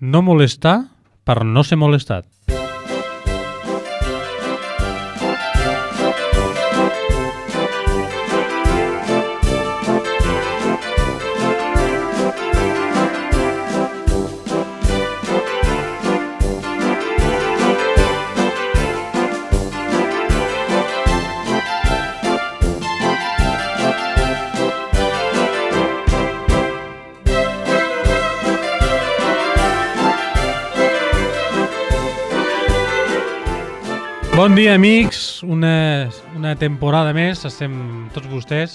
No molestar per no ser molestat. Bon dia, amics. Una temporada més estem tots vostès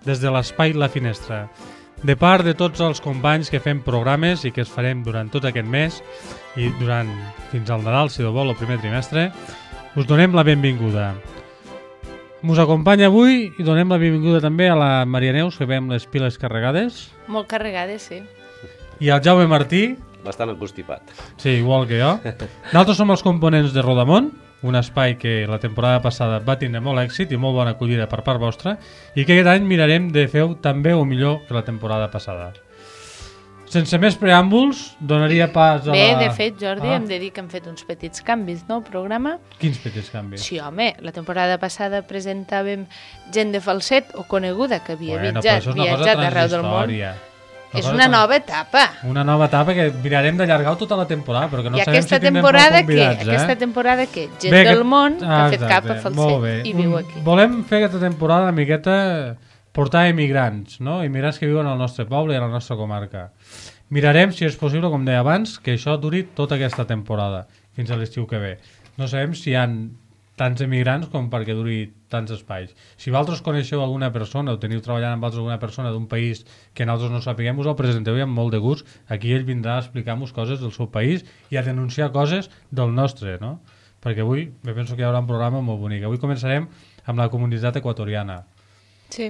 des de l'Espai La Finestra. De part de tots els companys que fem programes i que es farem durant tot aquest mes i fins al Nadal, si Déu vol, el primer trimestre, us donem la benvinguda. Us acompanya avui i donem la benvinguda també a la Maria Neus, que veiem les piles carregades. Molt carregades, sí. I al Jaume Martí. Bastant encostipat. Sí, igual que jo. Nosaltres som els components de Rodamont, un espai que la temporada passada va tindre molt èxit i molt bona acollida per part vostra i que aquest any mirarem de fer també o millor que la temporada passada. Sense més preàmbuls, donaria pas a Bé, de fet, Jordi, hem de dir que hem fet uns petits canvis, no, al programa. Quins petits canvis? Sí, home, la temporada passada presentàvem gent de falset o coneguda que havia viatjat arreu del món. És una nova etapa. Una nova etapa que mirarem d'allargar tota la temporada, però que no sabem si tindrem molt convidats. Aquesta temporada què? Gent del món que ha fet cap a falset i viu aquí. Volem fer aquesta temporada una miqueta portar emigrants, no? Immigrants que viuen al nostre poble i a la nostra comarca. Mirarem, si és possible, com deia abans, que això duri tota aquesta temporada, fins a l'estiu que ve. No sabem si hi ha tants emigrants com perquè duri tants espais. Si vosaltres coneixeu alguna persona o teniu treballant amb alguna persona d'un país que nosaltres no sapiguem, us el presenteu i amb molt de gust. Aquí ell vindrà a explicar-nos coses del seu país i a denunciar coses del nostre, no? Perquè avui, me penso que hi haurà un programa molt bonic. Avui començarem amb la comunitat equatoriana, sí,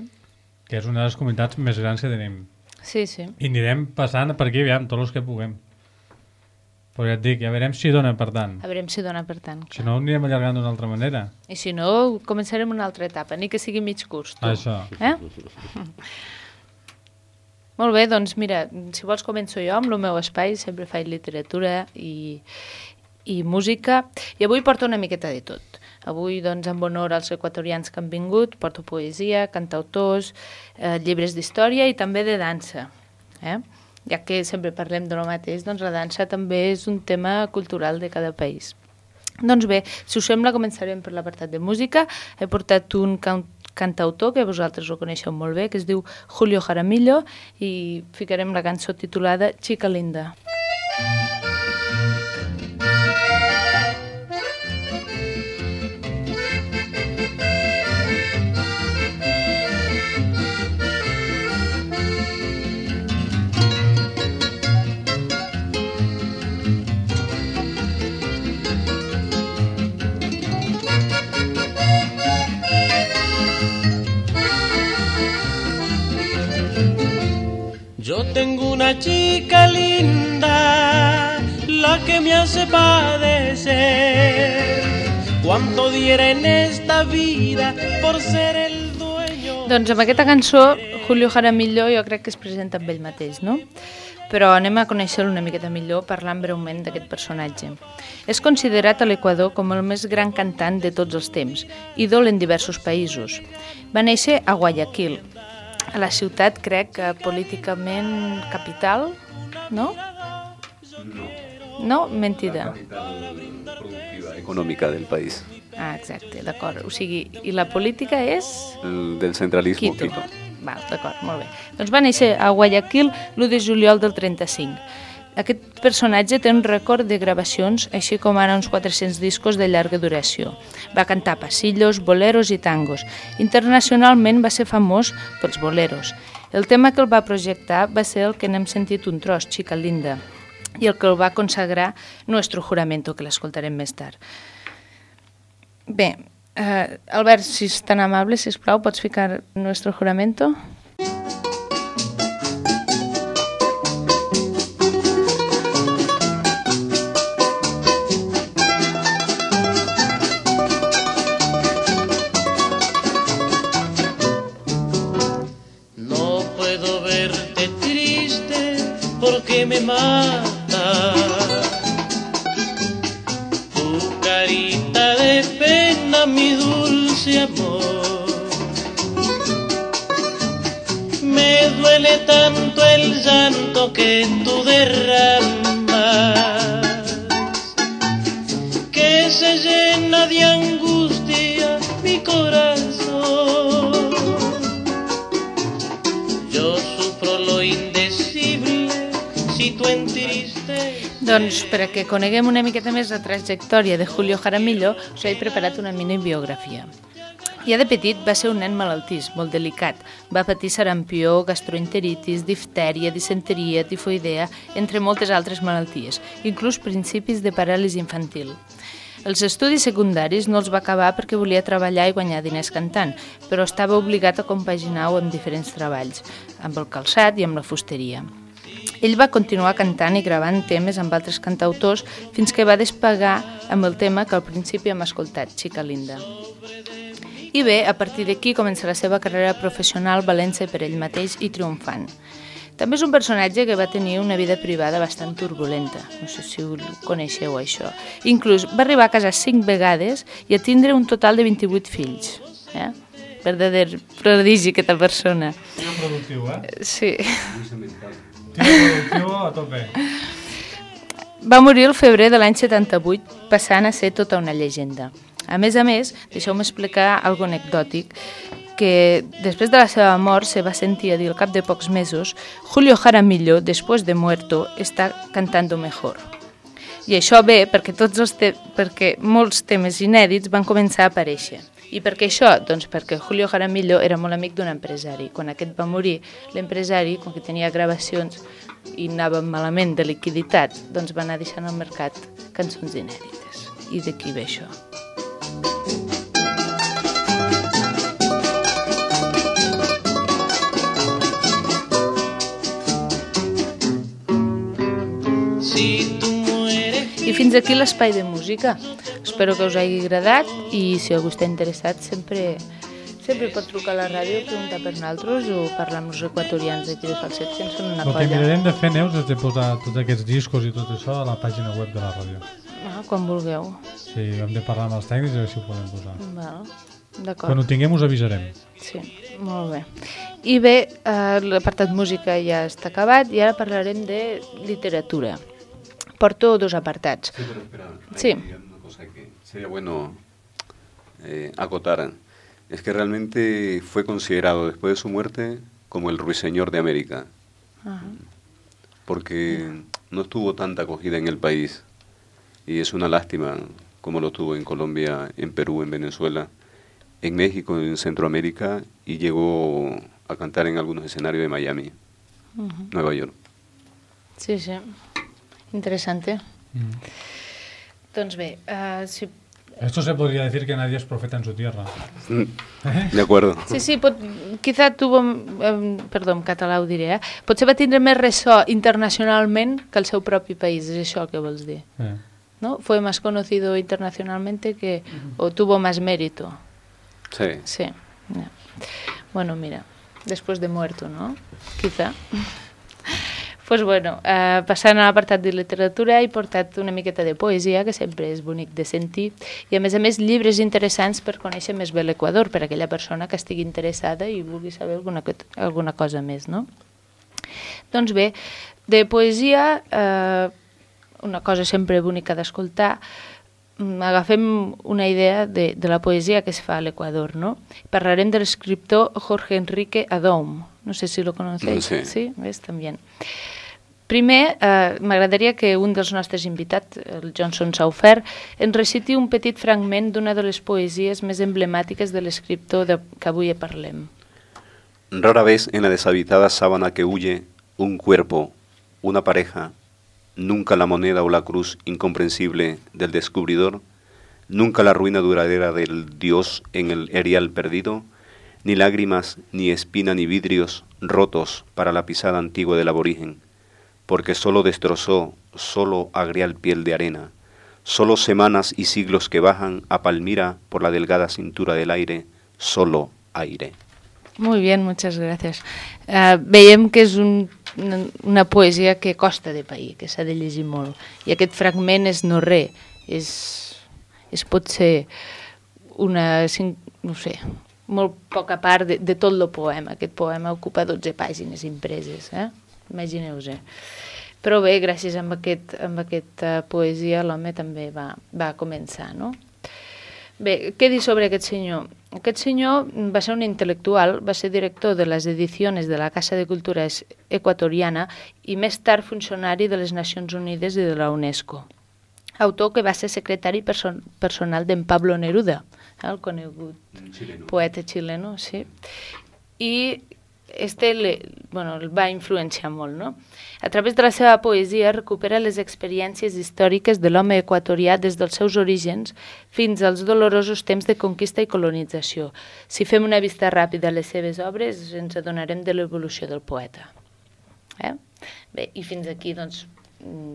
que és una de les comunitats més grans que tenim. Sí, sí. I anirem passant per aquí, aviam, tots els que puguem. Però ja et dic, ja veurem si dona per tant. A veurem si dona per tant. Si no, anirem allargant d'una altra manera. I si no, començarem una altra etapa, ni que sigui mig curs. Tu. Això. Molt bé, doncs mira, si vols començo jo amb el meu espai, sempre faig literatura i música, i avui porto una miqueta de tot. Avui, doncs, en honor als equatorians que han vingut, porto poesia, cantautors, llibres d'història i també de dansa. Ja que sempre parlem de lo mateix, doncs la dansa també és un tema cultural de cada país. Doncs bé, si us sembla, començarem per l'apartat de música. He portat un cantautor que vosaltres ho coneixeu molt bé, que es diu Julio Jaramillo, i ficarem la cançó titulada Chica Linda. Yo tengo una chica linda, la que me hace padecer. Cuánto diera en esta vida por ser el dueño. Doncs amb aquesta cançó, Julio Jaramillo jo crec que es presenta amb ell mateix, no? Però anem a conèixer-lo una miqueta millor parlant breument d'aquest personatge. És considerat a l'Equador com el més gran cantant de tots els temps, ídol en diversos països. Va néixer a Guayaquil, a la ciutat, crec, políticament capital, no? No, mentida. La capital productiva, econòmica del país. Ah, exacte, d'acord. O sigui, i la política és? Del centralisme, Quito. Val, d'acord, molt bé. Doncs va néixer a Guayaquil l'1 de juliol del 35. Aquest personatge té un rècord de gravacions, així com ara uns 400 discos de llarga duració. Va cantar passillos, boleros i tangos. Internacionalment va ser famós pels boleros. El tema que el va projectar va ser el que n'hem sentit un tros, Chica Linda, i el que el va consagrar Nuestro Juramento, que l'escoltarem més tard. Bé, Albert, si és tan amable, sisplau, pots ficar Nuestro Juramento? No puedo verte triste porque me matas. mundo que tú derramas, que se llena de angustia mi corazón. Yo sufro lo indecible si tu entristeces. Doncs perquè coneguem una miqueta més la trajectòria de Julio Jaramillo, us he preparat una mini biografia. Ja de petit va ser un nen malaltís, molt delicat. Va patir sarampió, gastroenteritis, diftèria, disenteria, tifoidea, entre moltes altres malalties, inclús principis de paràlisi infantil. Els estudis secundaris no els va acabar perquè volia treballar i guanyar diners cantant, però estava obligat a compaginar-ho amb diferents treballs, amb el calçat i amb la fusteria. Ell va continuar cantant i gravant temes amb altres cantautors fins que va despegar amb el tema que al principi hem escoltat, Chica Linda. I bé, a partir d'aquí comença la seva carrera professional valent-se per ell mateix i triomfant. També és un personatge que va tenir una vida privada bastant turbulenta, no sé si ho coneixeu això. Inclús va arribar a casar 5 vegades i a tindre un total de 28 fills. Verdader prodigi aquesta persona. Tio productiu, Sí. Tio productiu a tope. Va morir el febrer de l'any 78, passant a ser tota una llegenda. A més, deixeu-me explicar algo anecdòtic, que després de la seva mort se va sentir a dir al cap de pocs mesos Julio Jaramillo, després de muerto, està cantando mejor. I això ve perquè molts temes inèdits van començar a aparèixer. I per què això? Doncs perquè Julio Jaramillo era molt amic d'un empresari. Quan aquest va morir, l'empresari, com que tenia gravacions i anava malament de liquiditat, doncs va anar deixant al mercat cançons inèdites. I d'aquí ve això. I fins aquí l'espai de música. Espero que us hagi agradat i si algú està interessat sempre pot trucar a la ràdio, preguntar per nosaltres o parlar amb els equatorians d'aquí de Falset, que en són una colla. El que mirarem de fer, Neus, és de posar tots aquests discos i tot això a la pàgina web de la ràdio. Quan vulgueu. Sí, hem de parlar amb els tècnics i a veure si ho podem posar. D'acord. Quan ho tinguem us avisarem. Sí, molt bé. I bé, l'apartat música ja està acabat i ara parlarem de literatura. Porto 2 apartats. Sí, pero espera, Sí. hay una cosa que sería bueno acotar. Es que realmente fue considerado después de su muerte como el ruiseñor de América. Ajá. Porque no tuvo tanta acogida en el país. Y es una lástima como lo tuvo en Colombia, en Perú, en Venezuela, en México, en Centroamérica, y llegó a cantar en algunos escenarios de Miami, Nueva York. Sí, sí. Interessante. Doncs bé, si... Esto se podría decir que nadie es profeta en su tierra. De acuerdo. Sí, quizá tuvo... perdó, en català ho diré, potser va tindre més ressò internacionalment que el seu propi país, és això el que vols dir. ¿No? Fue más conocido internacionalmente o tuvo más mérito. Sí. Sí. Bueno, mira, después de muerto, ¿no? Quizá. Pues bueno, passant a l'apartat de literatura he portat una miqueta de poesia, que sempre és bonic de sentir, i a més llibres interessants per conèixer més bé l'Equador, per a aquella persona que estigui interessada i vulgui saber alguna cosa més, no? Doncs bé, de poesia, una cosa sempre bonica d'escoltar, agafem una idea de la poesia que es fa a l'Equador, no? Parlarem de l'escriptor Jorge Enrique Adom. No sé si lo conocéis. Sí. Sí, ves, també. Primer, m'agradaria que un dels nostres invitats, el Johnson Saufer, ens reciti un petit fragment d'una de les poesies més emblemàtiques de l'escriptor que avui parlem. Rara vez en la deshabitada sábana que huye un cuerpo, una pareja, nunca la moneda o la cruz incomprensible del descubridor, nunca la ruina duradera del dios en el erial perdido, ni lágrimas, ni espina, ni vidrios rotos para la pisada antigua del aborigen, porque solo destrozó, solo agrial piel de arena, solo semanas y siglos que bajan a Palmira por la delgada cintura del aire, solo aire. Muy bien, muchas gracias. Veiem que és una poesia que costa de pair, que s'ha de llegir molt. I aquest fragment és no res, és potser una, no sé, molt poca part de tot el poema. Aquest poema ocupa 12 pàgines impreses. imagineu-vos. Però bé, gràcies a aquesta poesia l'home també va començar, no? Bé, què dir sobre aquest senyor? Aquest senyor va ser un intel·lectual, va ser director de les edicions de la Casa de Cultura Equatoriana i més tard funcionari de les Nacions Unides i de la UNESCO. Autor que va ser secretari personal d'en Pablo Neruda, el conegut poeta xileno, sí. I el va influenciar molt, no? A través de la seva poesia recupera les experiències històriques de l'home equatorià des dels seus orígens fins als dolorosos temps de conquista i colonització. Si fem una vista ràpida a les seves obres, ens adonarem de l'evolució del poeta. Bé, i fins aquí, doncs,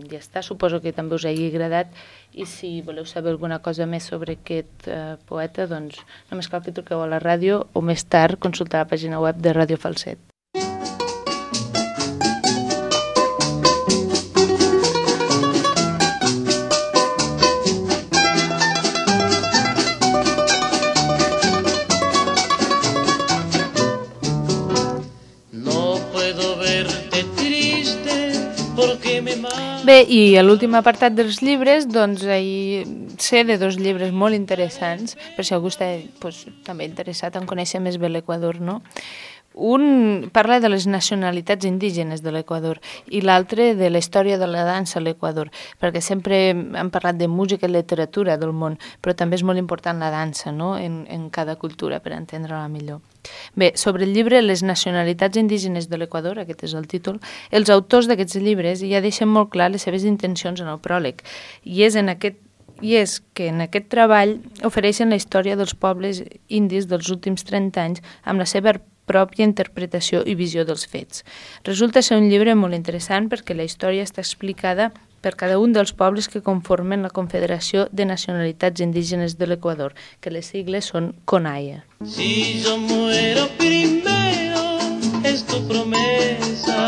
ja està. Suposo que també us hagi agradat i si voleu saber alguna cosa més sobre aquest poeta, doncs només cal que truqueu a la ràdio o més tard consultar la pàgina web de Ràdio Falset. Bé, i a l'últim apartat dels llibres, doncs sé de 2 llibres molt interessants, per si algú està també interessat en conèixer més bé l'Equador, no? Un parla de les nacionalitats indígenes de l'Equador i l'altre de la història de la dansa a l'Equador, perquè sempre hem parlat de música i literatura del món, però també és molt important la dansa, no?, en cada cultura, per entendre-la millor. Bé, sobre el llibre Les nacionalitats indígenes de l'Equador, aquest és el títol, els autors d'aquests llibres ja deixen molt clar les seves intencions en el pròleg, i és que en aquest treball ofereixen la història dels pobles indis dels últims 30 anys amb la seva pròpia interpretació i visió dels fets. Resulta ser un llibre molt interessant perquè la història està explicada per cada un dels pobles que conformen la Confederació de Nacionalitats Indígenes de l'Equador, que les sigles són CONAIE. Si yo muero primero, es tu promesa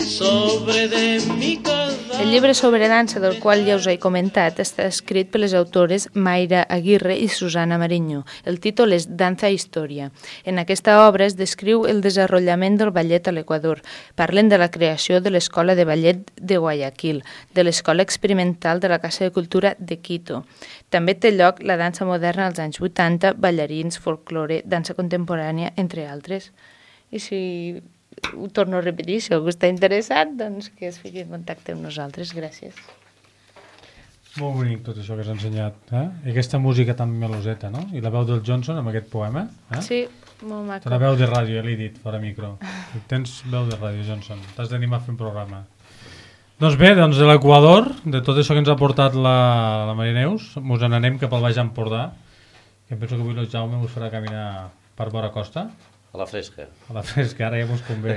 sobre de mi casa. El llibre sobre dansa, del qual ja us he comentat, està escrit per les autores Mayra Aguirre i Susana Mariño. El títol és Danza i Història. En aquesta obra es descriu el desenvolupament del ballet a l'Equador. Parlen de la creació de l'Escola de Ballet de Guayaquil, de l'Escola Experimental de la Casa de Cultura de Quito. També té lloc la dansa moderna als anys 80, ballarins, folklore, dansa contemporània, entre altres. I si ho torno a repetir, si algú està interessat, doncs que es fiqui en contacte amb nosaltres. Gràcies. Molt bonic tot això que has ensenyat, I aquesta música tan meloseta, no? I la veu del Johnson amb aquest poema, Sí, molt maco. La veu de ràdio, ja l'he dit, fora micro. Tens veu de ràdio, Johnson. T'has d'animar a fer un programa. Doncs bé, de l'Equador, de tot això que ens ha portat la Maria Neus, ens n'anem cap al Baix Empordà, que penso que avui el Jaume us farà caminar per vora costa. A la fresca. A la fresca, ara ja mos convé,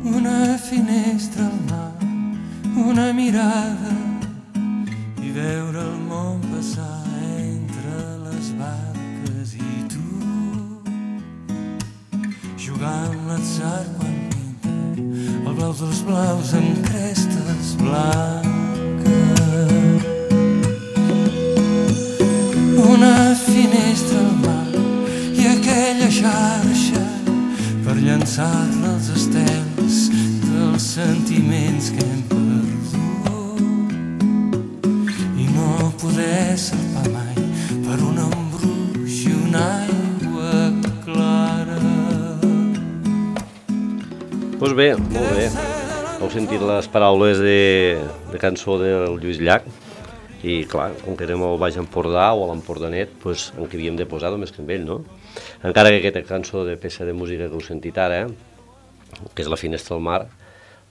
Una finestra al mar, una mirada i veure el món passar entre les barques i tu jugar amb l'atzar quan pinta el blau dels blaus amb crestes blanques. Una finestra al mar i aquella xarxa per llançar-la als estels dels sentiments que hem perdut i no poder salpar mai per un embruix i una aigua clara. Doncs bé, molt bé. Heu sentit les paraules de cançó del Lluís Llach i clar, com que érem al Baix Empordà o a l'Empordanet, doncs en què havíem de posar només que amb ell, no? Encara que aquesta cançó de peça de música que heu sentit ara, que és La finestra al mar,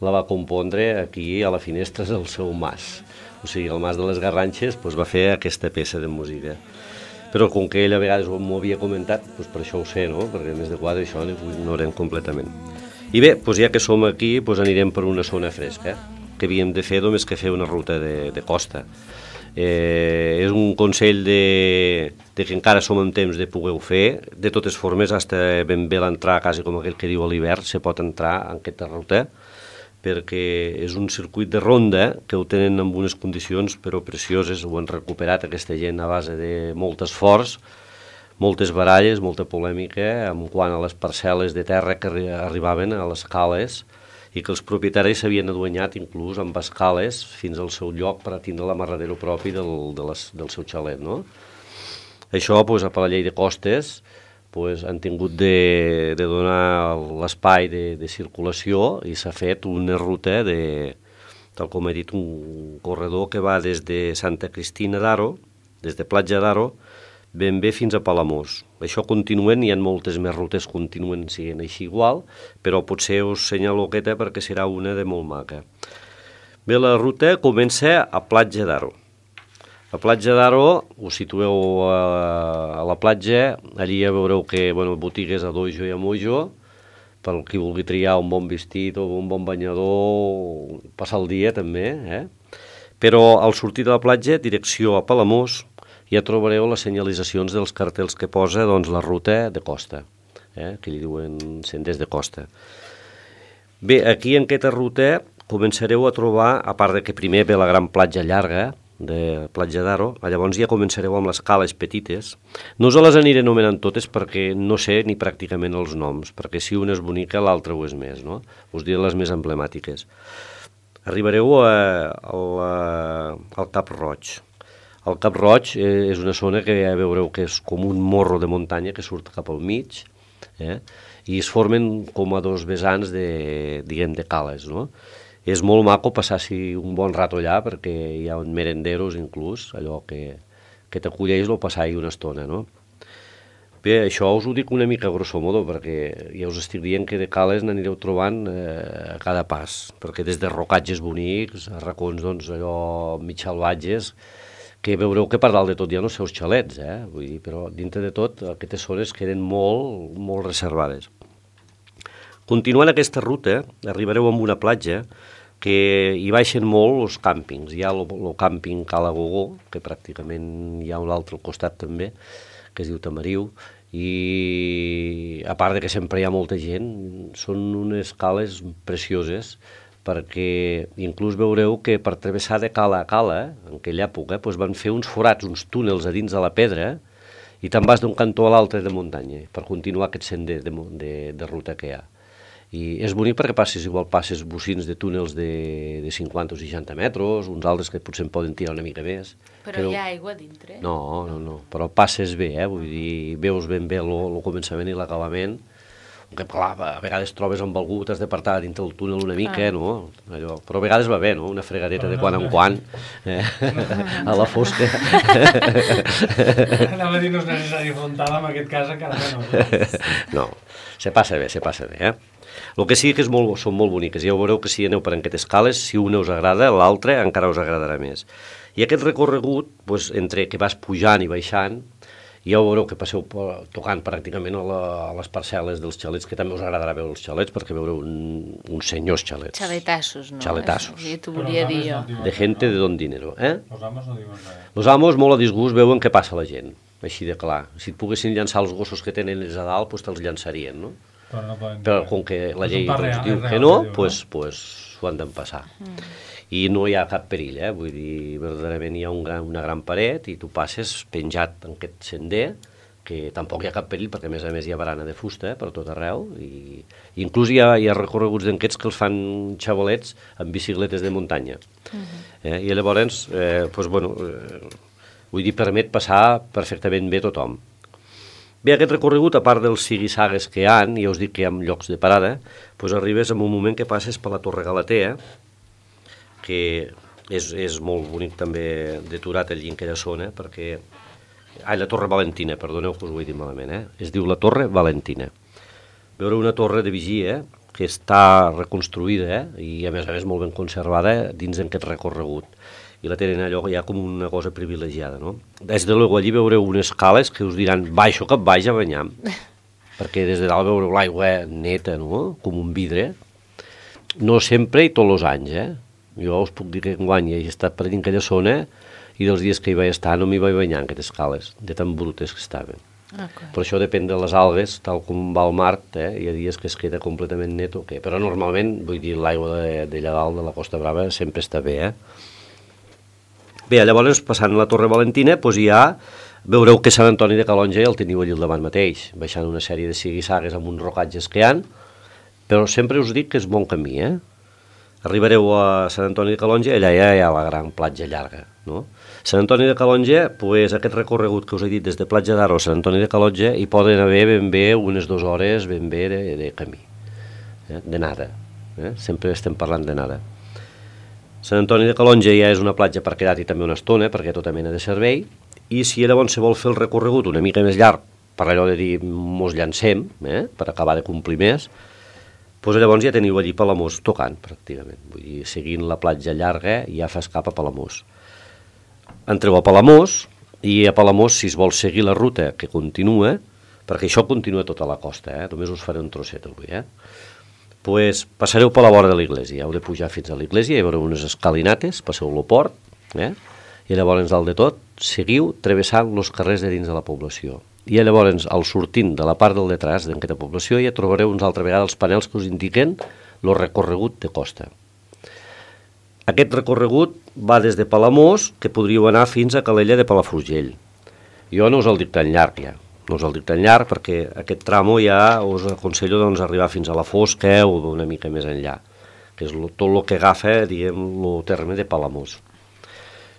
la va compondre aquí a la finestra del seu mas. O sigui, el mas de les Garranxes doncs, va fer aquesta peça de música. Però com que ell a vegades m'ho havia comentat, doncs per això ho sé, no? Perquè més de quadre això ho ignorem completament. I bé, doncs ja que som aquí, doncs anirem per una zona fresca, que havíem de fer només que fer una ruta de costa. És un consell de que encara som en temps de poder fer. De totes formes, fins ben bé l'entrar, quasi com aquell que diu a l'hivern, se pot entrar en aquesta ruta, perquè és un circuit de ronda que ho tenen en unes condicions però precioses, ho han recuperat aquesta gent a base de molt esforç, moltes baralles, molta polèmica en quant a les parcel·les de terra que arribaven a les cales i que els propietaris s'havien aduanyat inclús amb escales fins al seu lloc per a tindre l'amarradero propi del seu xalet, no? Això, doncs, per la llei de costes, doncs, han tingut de donar l'espai de circulació i s'ha fet una ruta tal com he dit, un corredor que va des de Santa Cristina d'Aro, des de Platja d'Aro, ben bé fins a Palamós. Això continuen, hi ha moltes més rutes que continuen sent així igual, però potser us senyalo aquesta perquè serà una de molt maca. Bé, la ruta comença a Platja d'Aro. A Platja d'Aro, us situeu a la platja, allí ja veureu que botigues a dojo i a mojo, pel qui vulgui triar un bon vestit o un bon banyador, passar el dia també, Però al sortir de la platja, direcció a Palamós, ja trobareu les senyalitzacions dels cartells que posa la ruta de costa, que li diuen senders de costa. Bé, aquí en aquesta ruta començareu a trobar, a part de que primer ve la gran platja llarga, de Platja d'Aro, llavors ja començareu amb les cales petites. No us les aniré anomenant totes perquè no sé ni pràcticament els noms, perquè si una és bonica l'altra ho és més, no? Us diré les més emblemàtiques. Arribareu al Cap Roig. El Cap Roig és una zona que ja veureu que és com un morro de muntanya que surt cap al mig, i es formen com a dos vessants de cales, no? És molt maco passar-s'hi un bon rato allà perquè hi ha merenderos inclús, allò que t'acolleix o passar-hi una estona, no? Bé, això us ho dic una mica grosso modo perquè ja us estic dient que de cales n'anireu trobant a cada pas, perquè des de rocatges bonics, a racons allò mig salvatges, que veureu que per dalt de tot hi ha els seus xalets, vull dir, però dintre de tot aquestes zones queden molt, molt reservades. Continuant aquesta ruta, arribareu a una platja que hi baixen molt els càmpings. Hi ha el càmping Cala Gogó, que pràcticament hi ha un altre al costat també, que es diu Tamariu, i a part de que sempre hi ha molta gent, són unes cales precioses, perquè inclús veureu que per travessar de cala a cala, en aquella època, van fer uns forats, uns túnels a dins de la pedra, i te'n vas d'un cantó a l'altre de muntanya, per continuar aquest sender de ruta que hi ha. I és bonic perquè passes bocins de túnels de 50 o 60 metres, uns altres que potser en poden tirar una mica més. Però hi ha aigua dintre? No, però passes bé, vull dir, veus ben bé el començament i l'acabament, que clar, a vegades trobes amb algú, t'has d'apartar dintre del túnel una mica, no? Allò, però a vegades va bé, no? Una fregadeta de quan en quan, a la fosca. Anava a dir, no és necessari frontal, en aquest cas encara menys. No, se passa bé, El que sí que són molt boniques, ja veureu que si aneu per aquestes cales, si una us agrada, l'altra encara us agradarà més. I aquest recorregut, entre que vas pujant i baixant, ja veureu que passeu tocant pràcticament a les parcel·les dels xalets, que també us agradarà veure els xalets, perquè veureu uns senyors xalets. Xaletassos, no? Xaletassos. Sí, t'ho volia dir jo. De gente de don dinero, Los amos no diuen res. Los amos molt a disgust veuen què passa a la gent, així de clar. Si et poguessin llançar els gossos que tenen ells a dalt, doncs te'ls llançarien, no? Però com que la llei diu que no, doncs s'ho han d'empassar. I no hi ha cap perill, vull dir, verdaderament hi ha una gran paret i tu passes penjat en aquest sender, que tampoc hi ha cap perill perquè a més hi ha barana de fusta per tot arreu, i inclús hi ha recorreguts d'aquests que els fan xavalets amb bicicletes de muntanya. I llavors, vull dir, permet passar perfectament bé tothom. Bé, aquest recorregut, a part dels sigui-sagues que hi ha, ja us dic que hi ha llocs de parada, arribes en un moment que passes per la Torre Galatea, que és molt bonic també deturat allí en aquella zona, perquè... la Torre Valentina, perdoneu que us ho he dit malament, es diu la Torre Valentina. Veureu una torre de vigia que està reconstruïda i a més molt ben conservada dins d'aquest recorregut. I la tenen allò ja com una cosa privilegiada, no? Des de luego allí veureu unes cales que us diran, baixo que vaig a banyar, perquè des de dalt veureu l'aigua neta, no? Com un vidre. No sempre i tots els anys, Jo us puc dir que enguany he estat per dins aquella zona i dels dies que hi vaig estar no m'hi vaig banyar en aquestes cales, de tan brutes que estaven. Per això depèn de les algues, tal com va al mar, hi ha dies que es queda completament net o què, però normalment, vull dir, l'aigua d'allà dalt de la Costa Brava sempre està bé, Bé, llavors, passant la Torre Valentina, hi ha veureu que Sant Antoni de Calonge el teniu allà al davant mateix, baixant una sèrie de sigue-sagues amb uns rocatges que hi ha, però sempre us dic que és bon camí, Arribareu a Sant Antoni de Calonge, allà ja hi ha la gran platja llarga, no? Sant Antoni de Calonge, pues, aquest recorregut que us he dit des de Platja d'Aro a Sant Antoni de Calonge, hi poden haver ben bé unes 2 hores ben bé de camí, de nada, sempre estem parlant de nada. Sant Antoni de Calonge ja és una platja per quedar-hi també una estona, perquè tota mena de servei, i si llavors se vol fer el recorregut una mica més llarg, per allò de dir mos llancem, per acabar de complir més, doncs llavors ja teniu allí Palamós tocant, pràcticament. Vull dir, seguint la platja llarga ja fas cap a Palamós. Entreu a Palamós, i a Palamós, si es vol seguir la ruta que continua, perquè això continua tota la costa, només us faré un trosset avui, pues passareu per la vora de l'església, heu de pujar fins a l'església, hi haurà unes escalinates, passeu el port, i llavors dalt de tot seguiu travessant els carrers de dins de la població. I llavors, al sortint de la part del detrás d'aquesta població, ja trobareu una altra vegada els panels que us indiquen el recorregut de costa. Aquest recorregut va des de Palamós, que podríeu anar fins a Calella de Palafrugell. Jo no us el dic tan llarg, ja. No us el dic tan llarg, perquè aquest tramo ja us aconsello arribar fins a la Fosca o una mica més enllà, que és tot el que agafa, diguem, el terme de Palamós.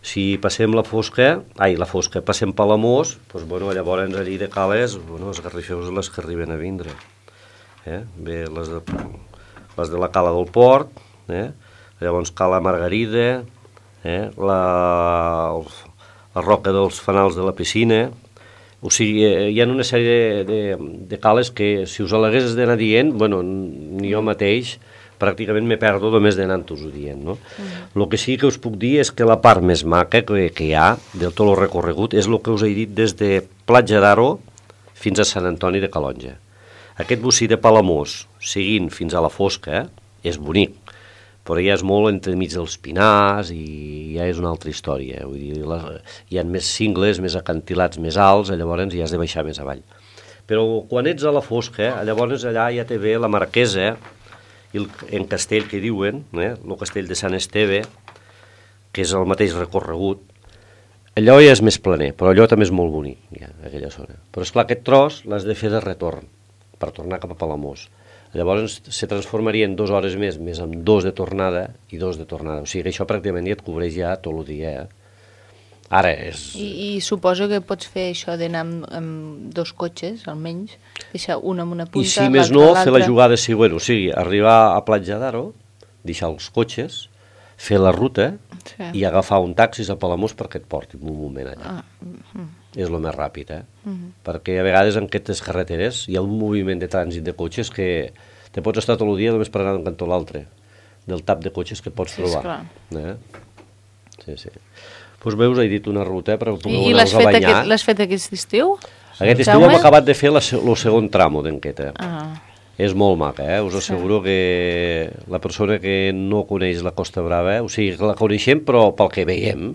Si passem la Fosca, passem Palamós, doncs, llavors allí de Cales, els garrifeus les que arriben a vindre. Bé, les de la Cala del Port, llavors Cala Margarida, la Roca dels Fanals de la Piscina. O sigui, hi ha una sèrie de cales que, si us l'hagués d'anar dient, ni jo mateix pràcticament me perdo només d'anant-vos-ho dient, no? El que sí que us puc dir és que la part més maca que hi ha del tot el recorregut és el que us he dit des de Platja d'Aro fins a Sant Antoni de Calonge. Aquest bocí de Palamós, seguint fins a la Fosca, és bonic, però ja és molt entremig dels pinars i ja és una altra història. Vull dir, hi ha més cingles, més acantilats, més alts, llavors ja has de baixar més avall. Però quan ets a la Fosca, llavors allà ja te ve la Marquesa, en castell que diuen, el castell de Sant Esteve, que és el mateix recorregut. Allò ja és més planer, però allò també és molt bonic, ja, aquella zona. Però esclar, aquest tros l'has de fer de retorn, per tornar cap a Palamós. Llavors se transformaria en 2 hores més amb 2 de tornada i 2 de tornada. O sigui que això pràcticament ja et cobreix ja tot el dia. Ara és... I suposo que pots fer això d'anar amb 2 cotxes, almenys, deixar un amb una punta, i si més no, fer la jugada següent, o sigui, arribar a Platja d'Aro, deixar els cotxes, fer la ruta i agafar un taxi a Palamós perquè et porti un moment allà. És el més ràpid, perquè a vegades en aquestes carreteres hi ha un moviment de trànsit de cotxes que te pots estar tot el dia només per anar d'un cantó a l'altre, del tap de cotxes que pots trobar. Sí. Doncs veus, he dit una ruta per poder anar-vos a banyar. I l'has fet aquest estiu? Aquest estiu hem acabat de fer el segon tramo d'enqueta. És molt maca, us asseguro que la persona que no coneix la Costa Brava, o sigui, la coneixem però pel que veiem,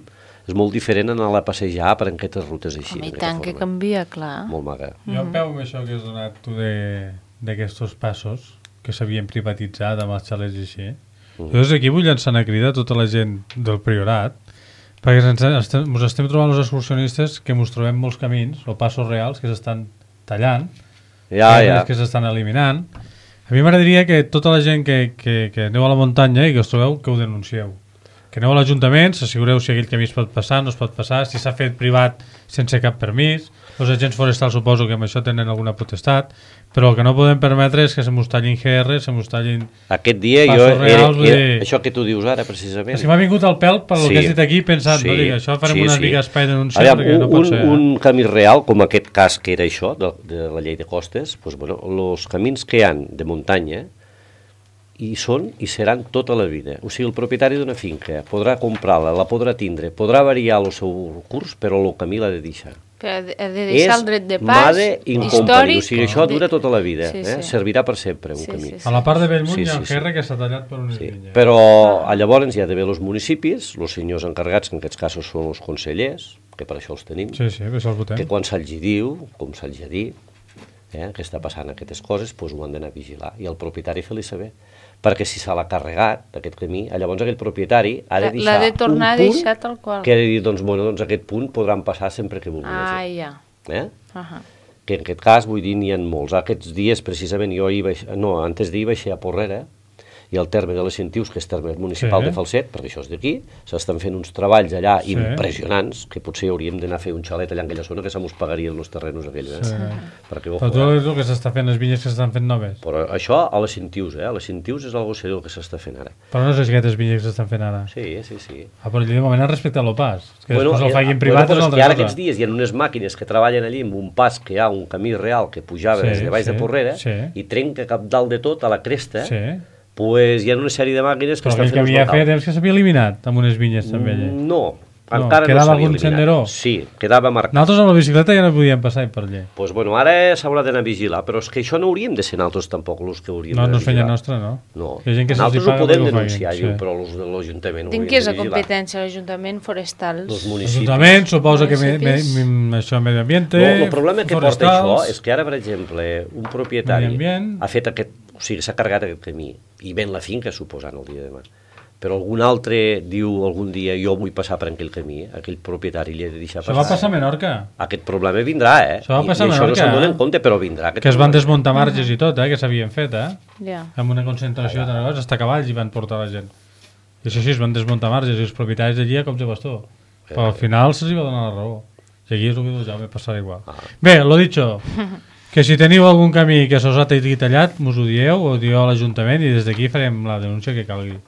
és molt diferent anar a passejar per aquestes rutes així. Home, i tant que canvia, clar. Molt maca. Jo em peu amb això que has donat tu d'aquests passos que s'havien privatitzat amb els xalets i així. Llavors aquí vull llançar una crida a tota la gent del Priorat, perquè ens estem trobant els excursionistes que ens trobem molts camins o passos reals que s'estan tallant, que s'estan eliminant. A mi m'agradaria que tota la gent que aneu a la muntanya i que us trobeu, que ho denuncieu. Que aneu a l'Ajuntament, s'assegureu si aquell camí es pot passar, no es pot passar, si s'ha fet privat sense cap permís. Els agents forestals suposo que amb això tenen alguna potestat, però el que no podem permetre és que se mos tallin GR, se mos tallin... Aquest dia jo era això que tu dius ara, precisament. És que m'ha vingut al pèl per el que has dit aquí pensant, no dic, això farem una mica espai denunciar perquè no pot ser. Un camí real, com aquest cas que era això, de la llei de costes, els camins que hi ha de muntanya hi són i seran tota la vida. O sigui, el propietari d'una finca podrà comprar-la, la podrà tindre, podrà variar el seu curs, però el camí l'ha de deixar. Ha de deixar el dret de pas històric. O sigui, això dura tota la vida, servirà per sempre un camí. A la part de Bellmunt hi ha un GR que s'ha tallat per unes vinyes. Però llavors hi ha d'haver els municipis, els senyors encarregats, que en aquests casos són els consellers, que per això els tenim, que quan se'ls diu, com se'ls ha dit, que està passant aquestes coses, doncs ho han d'anar a vigilar i el propietari fer-li saber, perquè si se l'ha carregat d'aquest camí, llavors aquell propietari ha de deixar l'ha de tornar un a punt deixar tal qual. que ha de dir, doncs, bueno, doncs aquest punt podran passar sempre que vulguin. Ja. Que en aquest cas, vull dir, n'hi ha molts. Aquests dies, precisament, antes d'ahir vaig a Porrera, i al terme de les Centius, que és terme municipal de Falset, perquè això és d'aquí, s'estan fent uns treballs allà impressionants, que potser hauríem d'anar a fer un xalet allà en aquella zona, que se mos pagarien els terrenos aquells. Però tot el que s'està fent, les vinyes que s'estan fent noves. Però això a les Centius, a les Centius és algo seriós que s'està fent ara. Però no és aquestes vinyes que s'estan fent ara. Sí. Però de moment han respectat el pas. Que després el facin privat és una altra cosa. Ara aquests dies hi ha unes màquines que treballen allí amb un pas que hi ha, un camí real que pujava des de baix de Porrera i trenca cap dalt de tot a la cresta. Pues hi ha una sèrie de màquines que estan fent... Però aquell que havia fet és que s'havia eliminat amb unes vinyes també allà. No, encara no quedava s'havia algun senderó? Sí, quedava marcat. Nosaltres amb la bicicleta ja no podíem passar per allà. Doncs bueno, ara s'haurà d'anar a vigilar, però és que això no hauríem de ser nosaltres tampoc els que hauríem de vigilar. No és feina nostra, no? No, nosaltres ho podem denunciar, però els de l'Ajuntament ho haurien de vigilar. Què és la competència? L'Ajuntament forestal? L'Ajuntament suposa que això medi ambient... El problema que porta això és que ara, per exemple, un propietari ha fet aquest... O sigui, s'ha carregat aquest camí i ven la finca, suposant, el dia de demà. Però algun altre diu algun dia jo vull passar per aquell camí, aquell propietari li ha de deixar passar. Això va passar a Menorca. Aquest problema vindrà, Això va passar a Menorca. I això no se'n dona en compte, però vindrà. Que es van desmuntar marges i tot, que s'havien fet, Ja. amb una concentració de negocis, hasta cavalls hi van portar la gent. I això sí, es van desmuntar marges i els propietaris d'allí com se bastó. Però al final se'ls va donar la raó. I aquí és el que ja va passar igual. Bé, lo dicho... Que si teniu algun camí que s'us ha tallat, mos ho dieu, o dieu a l'Ajuntament i des d'aquí farem la denúncia que calgui.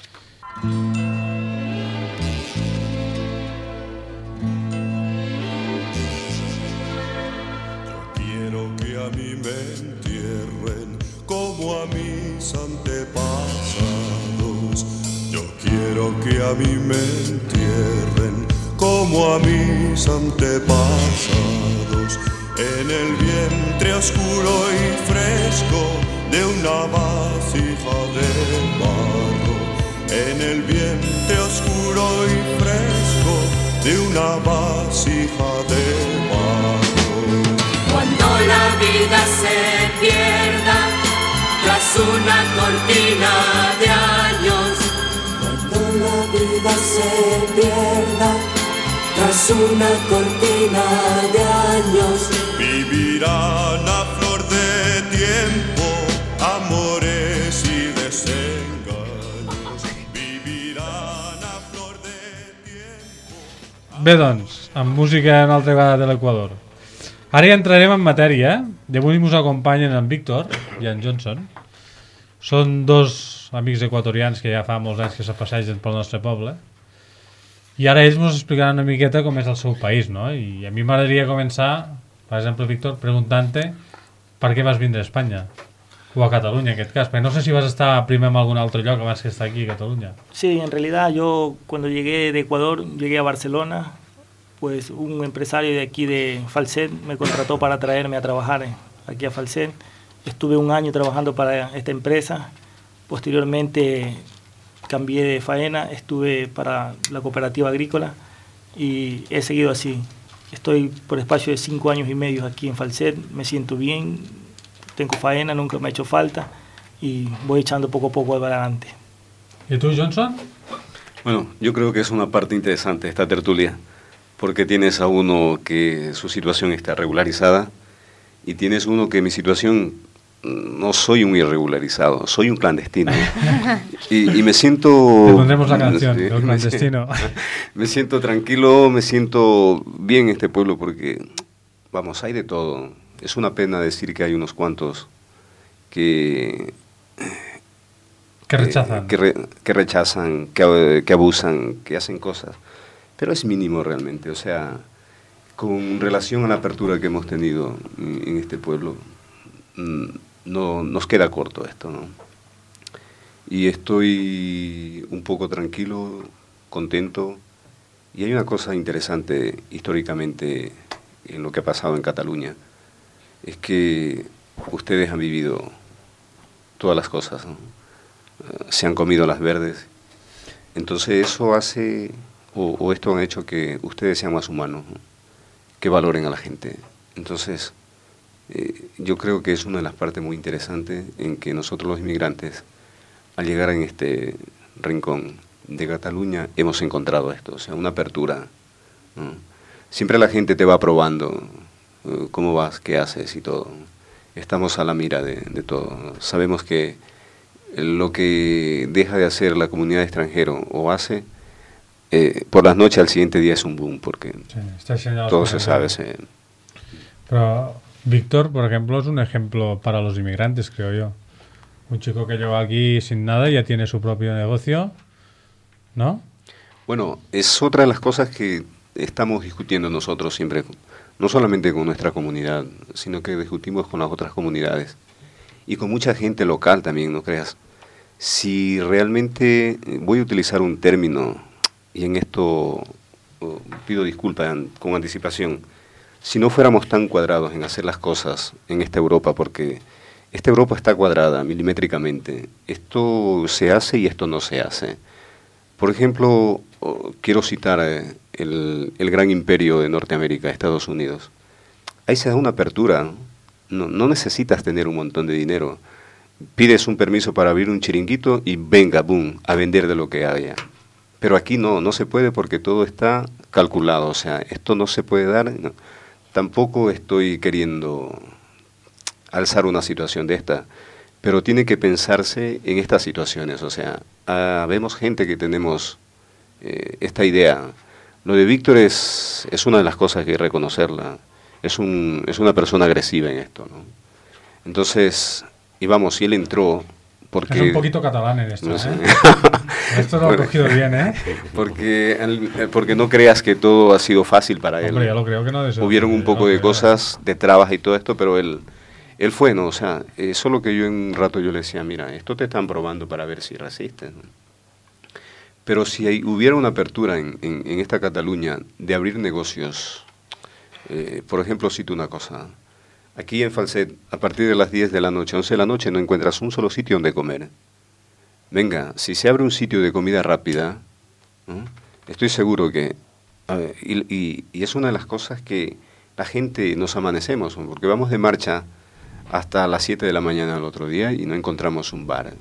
Quiero que a mí me entierren como a mis antepasados. Yo quiero que a mí me entierren como a mis antepasados. En el vientre oscuro y fresco de una vasija de barro. En el vientre oscuro y fresco de una vasija de barro. Cuando la vida se pierda tras una cortina de años. Cuando la vida se pierda tras una cortina de años. Vivirán a flor de tiempo amores y desengaños. Vivirán a flor de tiempo. Bé, doncs, amb música en altra vegada de l'Equador. Ara ja entrarem en matèria. D'avui ens acompanyen en Víctor i en Johnson. Són dos amics equatorians que ja fa molts anys que se passegen pel nostre poble. I ara ells ens explicaran una miqueta com és el seu país, no? I a mi m'agradaria començar, per exemple, Víctor, preguntant-te per què vas vindre a Espanya, o a Catalunya en aquest cas, perquè no sé si vas estar primer en algun altre lloc abans que estar aquí a Catalunya. Sí, en realidad yo cuando llegué de Ecuador, llegué a Barcelona, pues un empresario de aquí de Falset me contrató para traerme a trabajar aquí a Falset. Estuve un año trabajando para esta empresa, posteriormente cambié de faena, estuve para la cooperativa agrícola y he seguido así. Estoy por espacio de 5 años y medio aquí en Falset, me siento bien, tengo faena, nunca me ha hecho falta y voy echando poco a poco adelante. ¿Y tú, Johnson? Bueno, yo creo que es una parte interesante esta tertulia, porque tienes a uno que su situación está regularizada y tienes uno que mi situación... No soy un irregularizado, soy un clandestino. Y me siento... Te pondremos la canción, el clandestino. Me siento tranquilo, me siento bien en este pueblo porque, vamos, hay de todo. Es una pena decir que hay unos cuantos que rechazan. Que rechazan, que abusan, que hacen cosas. Pero es mínimo realmente. O sea, con relación a la apertura que hemos tenido en este pueblo... No nos queda corto esto, ¿no? Y estoy un poco tranquilo, contento, y hay una cosa interesante históricamente en lo que ha pasado en Cataluña, es que ustedes han vivido todas las cosas, ¿no? Se han comido las verdes, entonces eso hace, o esto han hecho que ustedes sean más humanos, ¿no? Que valoren a la gente. Entonces, yo creo que es una de las partes muy interesantes en que nosotros los inmigrantes, al llegar en este rincón de Cataluña, hemos encontrado esto, o sea, una apertura, ¿no? Siempre la gente te va probando cómo vas, qué haces y todo. Estamos a la mira de todo. Sabemos que lo que deja de hacer la comunidad extranjera o hace, por las noches al siguiente día es un boom, porque todo se sabe. Pero Víctor, por ejemplo, es un ejemplo para los inmigrantes, creo yo. Un chico que llega aquí sin nada y ya tiene su propio negocio, ¿no? Bueno, es otra de las cosas que estamos discutiendo nosotros siempre, no solamente con nuestra comunidad, sino que discutimos con las otras comunidades y con mucha gente local también, no creas. Si realmente, voy a utilizar un término, y en esto pido disculpas con anticipación, si no fuéramos tan cuadrados en hacer las cosas en esta Europa, porque esta Europa está cuadrada milimétricamente, esto se hace y esto no se hace. Por ejemplo, quiero citar el gran imperio de Norteamérica, Estados Unidos. Ahí se da una apertura, no necesitas tener un montón de dinero. Pides un permiso para abrir un chiringuito y venga, boom, a vender de lo que haya. Pero aquí no se puede porque todo está calculado, o sea, esto no se puede dar. No. Tampoco estoy queriendo alzar una situación de esta, pero tiene que pensarse en estas situaciones, o sea, vemos gente que tenemos esta idea. Lo de Víctor es una de las cosas que hay que reconocerla, es una persona agresiva en esto, ¿no? Entonces, y vamos, si él entró porque... Es un poquito catalán en esto, no sé. Esto lo ha cogido bien, ¿eh? Porque no creas que todo ha sido fácil para él. Hombre, ya lo creo que no. Hubieron un poco de cosas, de trabas y todo esto, pero él fue, ¿no? O sea, solo que yo en un rato yo le decía, mira, esto te están probando para ver si resistes, ¿no? Pero si hubiera una apertura en esta Cataluña de abrir negocios, por ejemplo, cito una cosa. Aquí en Falset, a partir de las 10 de la noche, 11 de la noche, no encuentras un solo sitio donde comer. Venga, si se abre un sitio de comida rápida, ¿no? Estoy seguro que... y es una de las cosas que la gente nos amanecemos, ¿no? Porque vamos de marcha hasta las 7 de la mañana al otro día y no encontramos un bar.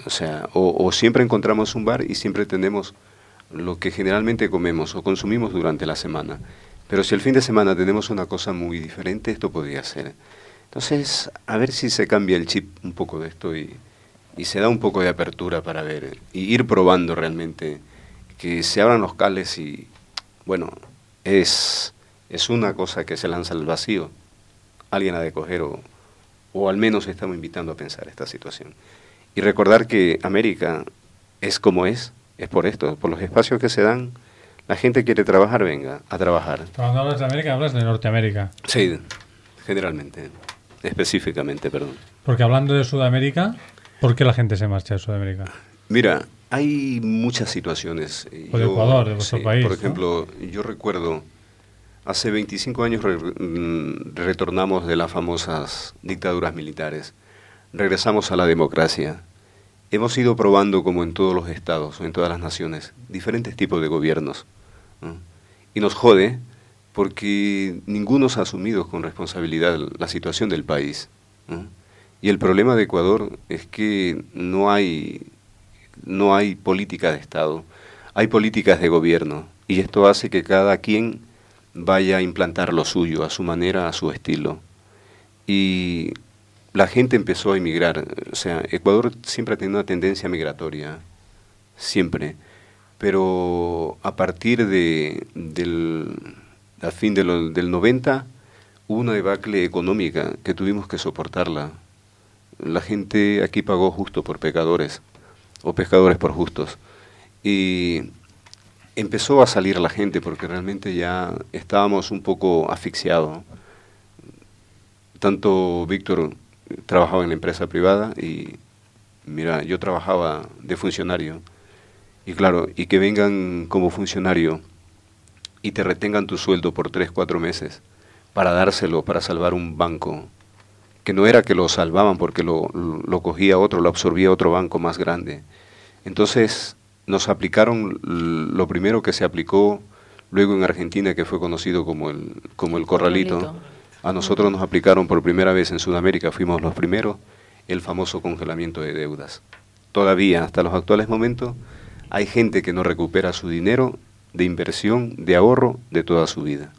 O sea, o siempre encontramos un bar y siempre tenemos lo que generalmente comemos o consumimos durante la semana. Pero si el fin de semana tenemos una cosa muy diferente, esto podría ser. Entonces, a ver si se cambia el chip un poco de esto y se da un poco de apertura para ver y ir probando realmente, que se abran los cales y, bueno, es una cosa que se lanza al vacío. Alguien ha de coger o al menos estamos invitando a pensar esta situación. Y recordar que América es como es por esto, por los espacios que se dan. La gente quiere trabajar, venga, a trabajar. Cuando hablas de América, hablas de Norteamérica. Sí, generalmente, específicamente, perdón. Porque hablando de Sudamérica, ¿por qué la gente se marcha de Sudamérica? Mira, hay muchas situaciones. O de Ecuador, de vuestro país. Por ejemplo, ¿no? Yo recuerdo, hace 25 años retornamos de las famosas dictaduras militares. Regresamos a la democracia. Hemos ido probando, como en todos los estados o en todas las naciones, diferentes tipos de gobiernos, ¿no? Y nos jode porque ninguno se ha asumido con responsabilidad la situación del país, ¿no? Y el problema de Ecuador es que no hay política de Estado, hay políticas de gobierno, y esto hace que cada quien vaya a implantar lo suyo, a su manera, a su estilo. Y la gente empezó a emigrar. O sea, Ecuador siempre ha tenido una tendencia migratoria, siempre, pero a partir del fin del 90 hubo una debacle económica que tuvimos que soportarla. La gente aquí pagó justo por pecadores, o pescadores por justos, y empezó a salir la gente porque realmente ya estábamos un poco asfixiados. Tanto Víctor trabajaba en la empresa privada y mira, yo trabajaba de funcionario y claro, y que vengan como funcionario y te retengan tu sueldo por 3-4 meses para dárselo, para salvar un banco, que no era que lo salvaban porque lo cogía otro, lo absorbía otro banco más grande. Entonces nos aplicaron lo primero que se aplicó luego en Argentina, que fue conocido como el corralito. A nosotros nos aplicaron por primera vez en Sudamérica, fuimos los primeros, el famoso congelamiento de deudas. Todavía, hasta los actuales momentos, hay gente que no recupera su dinero de inversión, de ahorro, de toda su vida.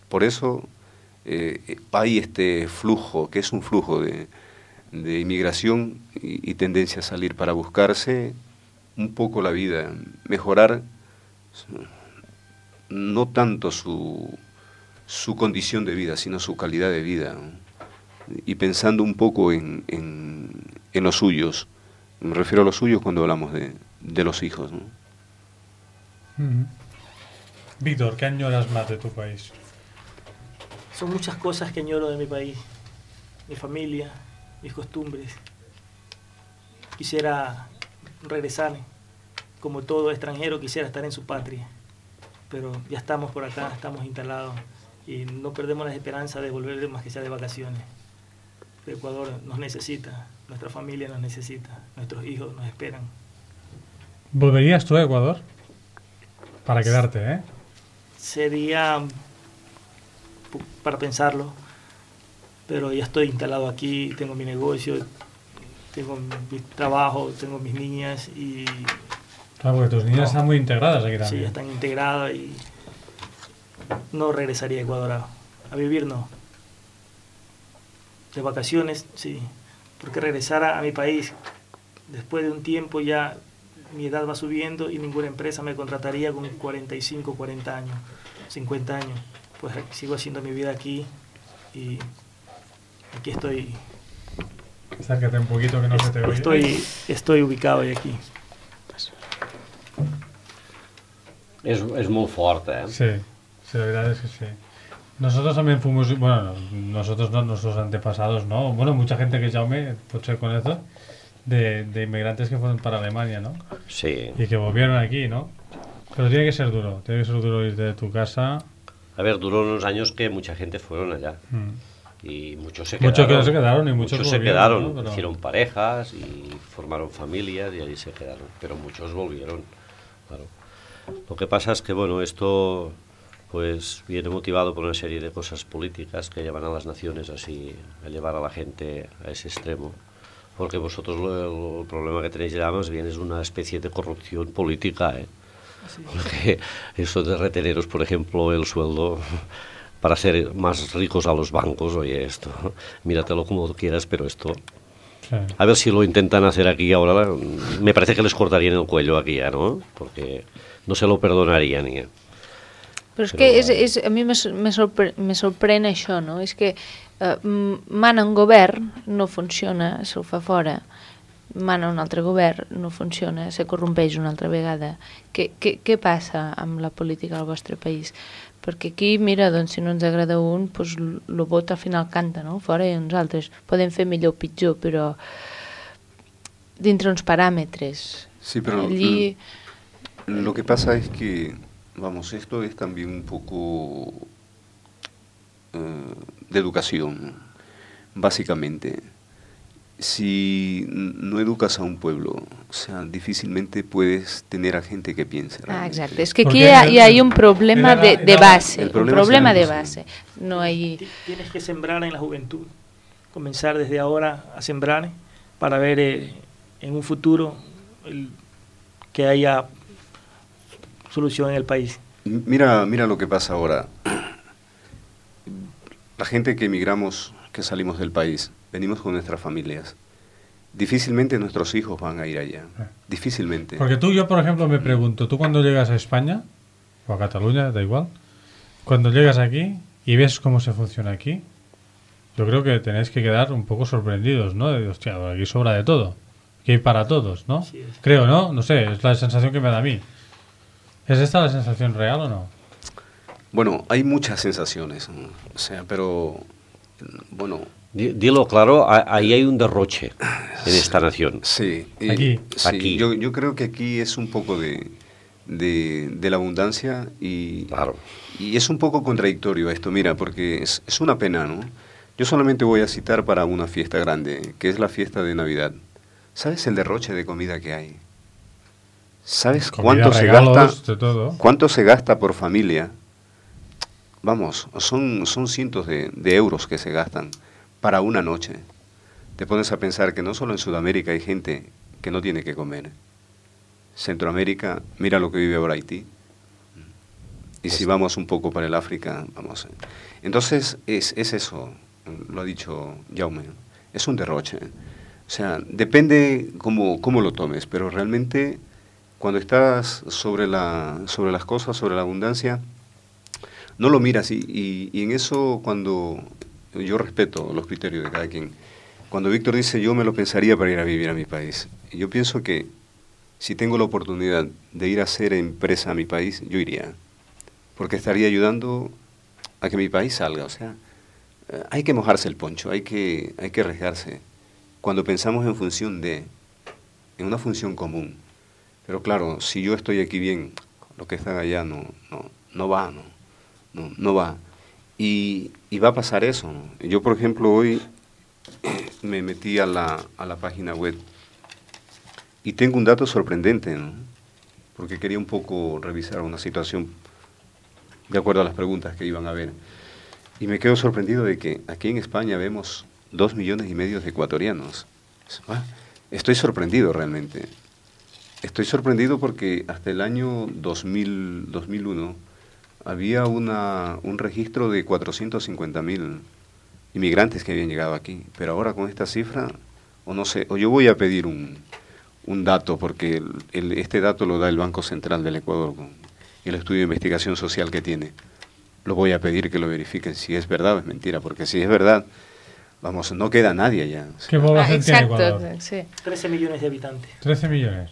Por eso hay este flujo, que es un flujo de inmigración y tendencia a salir para buscarse un poco la vida, mejorar no tanto su condición de vida, sino su calidad de vida, ¿no? Y pensando un poco en los suyos. Me refiero a los suyos cuando hablamos de los hijos, ¿no? Víctor, ¿qué añoras más de tu país? Son muchas cosas que añoro de mi país. Mi familia, mis costumbres. Quisiera regresar. Como todo extranjero, quisiera estar en su patria. Pero ya estamos por acá, estamos instalados. Y no perdemos la esperanza de volver más que sea de vacaciones. Ecuador nos necesita, nuestra familia nos necesita, nuestros hijos nos esperan. ¿Volverías tú a Ecuador? Para quedarte, ¿eh? Sería para pensarlo, pero ya estoy instalado aquí, tengo mi negocio, tengo mi trabajo, tengo mis niñas y... Claro, porque tus niñas están muy integradas aquí también. Sí, están integradas y no regresaría a Ecuador a vivir, no. De vacaciones, sí, porque regresar a mi país, después de un tiempo ya mi edad va subiendo y ninguna empresa me contrataría con 45, 40 años, 50 años. Pues sigo haciendo mi vida aquí y aquí estoy. Acércate un poquito que no se te oye. Estoy ubicado aquí. És molt fort, eh? Sí, la verdad es que sí. Nosotros también fuimos, bueno, nosotros no, nuestros antepasados, ¿no? Bueno, mucha gente que Jaume, puede ser con eso, de inmigrantes que fueron para Alemania, ¿no? Sí. Y que volvieron aquí, ¿no? Pero tiene que ser duro irte de tu casa. A ver, duró unos años que mucha gente fueron allá. Y muchos se quedaron. Muchos se quedaron y muchos se quedaron, ¿no? Pero... hicieron parejas y formaron familias y ahí se quedaron. Pero muchos volvieron, claro. Lo que pasa es que, bueno, esto pues viene motivado por una serie de cosas políticas que llevan a las naciones así, a llevar a la gente a ese extremo. Porque vosotros el problema que tenéis ya más bien es una especie de corrupción política, ¿eh? Sí. Porque eso de reteneros, por ejemplo, el sueldo para hacer más ricos a los bancos, oye, esto, míratelo como quieras, pero esto... Sí. A ver si lo intentan hacer aquí ahora, me parece que les cortarían el cuello aquí ya, ¿no? Porque no se lo perdonarían ya. Però és que a mi me sorprèn això, no? És que mana un govern, no funciona, se'l fa fora. Mana un altre govern, no funciona, se corrompeix una altra vegada. Què passa amb la política al vostre país? Perquè aquí, mira, doncs, si no ens agrada un, doncs, el vot al final canta, no? Fora i uns altres. Podem fer millor o pitjor, però dintre uns paràmetres. Sí, pero allí... lo que pasa es que, vamos, esto es también un poco de educación, básicamente. Si no educas a un pueblo, o sea, difícilmente puedes tener a gente que piense. Exacto, es que aquí hay un problema de base, un problema de base. No hay... Tienes que sembrar en la juventud, comenzar desde ahora a sembrar para ver en un futuro que haya solución en el país. Mira lo que pasa ahora. La gente que emigramos, que salimos del país, venimos con nuestras familias. Difícilmente nuestros hijos van a ir allá. Difícilmente. Porque yo, por ejemplo, me pregunto, tú cuando llegas a España, o a Cataluña, da igual, cuando llegas aquí y ves cómo se funciona aquí, yo creo que tenéis que quedar un poco sorprendidos, ¿no? De, hostia, aquí sobra de todo. Aquí hay para todos, ¿no? Sí, creo, ¿no? No sé, es la sensación que me da a mí. ¿Es esta la sensación real o no? Bueno, hay muchas sensaciones, ¿no? O sea, pero, bueno... Dilo claro, ahí hay un derroche en esta nación. Sí, aquí. Sí, yo creo que aquí es un poco de la abundancia y, claro. Y es un poco contradictorio esto, mira, porque es una pena, ¿no? Yo solamente voy a citar para una fiesta grande, que es la fiesta de Navidad. ¿Sabes el derroche de comida que hay? ¿Sabes comida, cuánto regalos, se gasta? de todo. ¿Cuánto se gasta por familia? vamos, son cientos de euros que se gastan para una noche. Te pones a pensar que no solo en Sudamérica hay gente que no tiene que comer. Centroamérica, mira lo que vive ahora Haití. Y si vamos un poco para el África, vamos. Entonces, es eso, lo ha dicho Jaume, es un derroche. O sea, depende cómo lo tomes, pero realmente cuando estás sobre las cosas, sobre la abundancia, no lo miras. Y en eso, cuando yo respeto los criterios de cada quien, cuando Víctor dice yo me lo pensaría para ir a vivir a mi país, yo pienso que si tengo la oportunidad de ir a hacer empresa a mi país, yo iría, porque estaría ayudando a que mi país salga. O sea, hay que mojarse el poncho, hay que arriesgarse cuando pensamos en una función común. Pero claro, si yo estoy aquí bien, los que están allá no va. Y va a pasar eso, ¿no? Yo, por ejemplo, hoy me metí a la página web y tengo un dato sorprendente, ¿no? Porque quería un poco revisar una situación de acuerdo a las preguntas que iban a ver. Y me quedo sorprendido de que aquí en España vemos 2,5 millones de ecuatorianos. Estoy sorprendido realmente. Estoy sorprendido porque hasta el año 2001 había un registro de 450.000 inmigrantes que habían llegado aquí. Pero ahora con esta cifra, o no sé, o yo voy a pedir un dato, porque este dato lo da el Banco Central del Ecuador con el estudio de investigación social que tiene. Lo voy a pedir que lo verifiquen si es verdad o es mentira, porque si es verdad, vamos, no queda nadie ya. ¿Qué población tiene Ecuador? Sí. 13 millones de habitantes. 13 millones.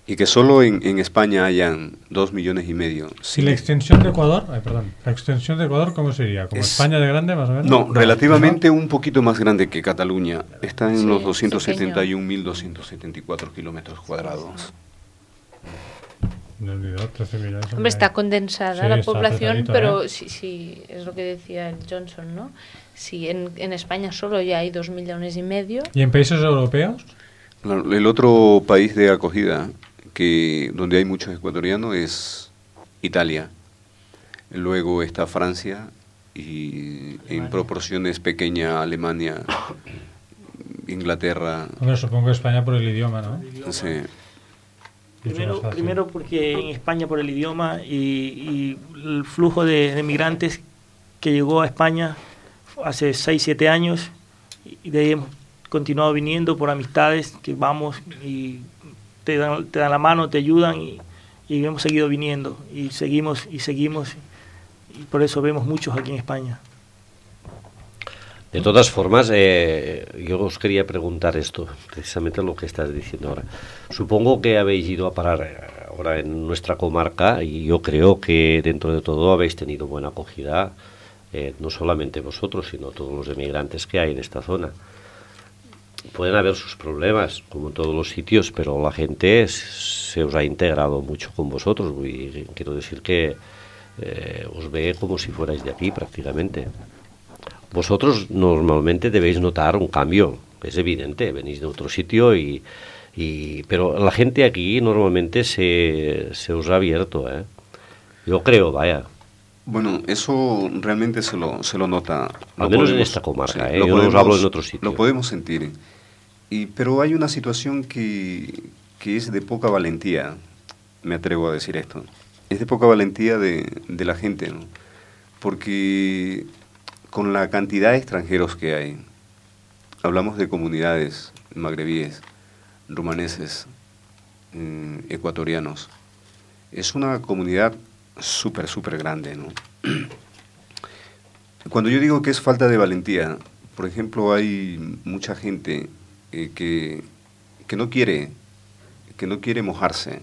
Y que solo en España hayan 2,5 millones. ¿Y la extensión de Ecuador? ¿La extensión de Ecuador cómo sería? ¿Como España de grande, más o menos? No, relativamente un poquito más grande que Cataluña. Está en los 271.274 kilómetros cuadrados. No olvidó, 13 millones. Hombre, está condensada Sí, la está población, apretadito, pero sí, es lo que decía el Johnson, ¿no? Si en España solo ya hay 2,5 millones. ¿Y en países europeos? El otro país de acogida donde hay muchos ecuatorianos es Italia. Luego está Francia y en proporciones pequeñas Alemania, Inglaterra. Hombre, supongo que España por el idioma, ¿no? Sí. Primero porque en España por el idioma y el flujo de migrantes que llegó a España hace 6-7 años y de ahí hemos continuado viniendo por amistades que vamos y te dan la mano, te ayudan y hemos seguido viniendo y seguimos y por eso vemos muchos aquí en España. De todas formas, yo os quería preguntar esto, precisamente lo que estás diciendo ahora. Supongo que habéis ido a parar ahora en nuestra comarca y yo creo que dentro de todo habéis tenido buena acogida, no solamente vosotros, sino todos los emigrantes que hay en esta zona. Pueden haber sus problemas, como en todos los sitios, pero la gente se os ha integrado mucho con vosotros y quiero decir que os ve como si fuerais de aquí prácticamente. Vosotros normalmente debéis notar un cambio, es evidente, venís de otro sitio pero la gente aquí normalmente se os ha abierto, Yo creo, vaya. Bueno, eso realmente se lo nota. Al menos en esta comarca, yo no os hablo en otro sitio. Lo podemos sentir. Pero hay una situación que es de poca valentía, me atrevo a decir esto. Es de poca valentía de la gente, ¿no? Porque con la cantidad de extranjeros que hay, hablamos de comunidades magrebíes, rumaneses, ecuatorianos, es una comunidad súper grande, ¿no? Cuando yo digo que es falta de valentía, por ejemplo, hay mucha gente que no quiere mojarse,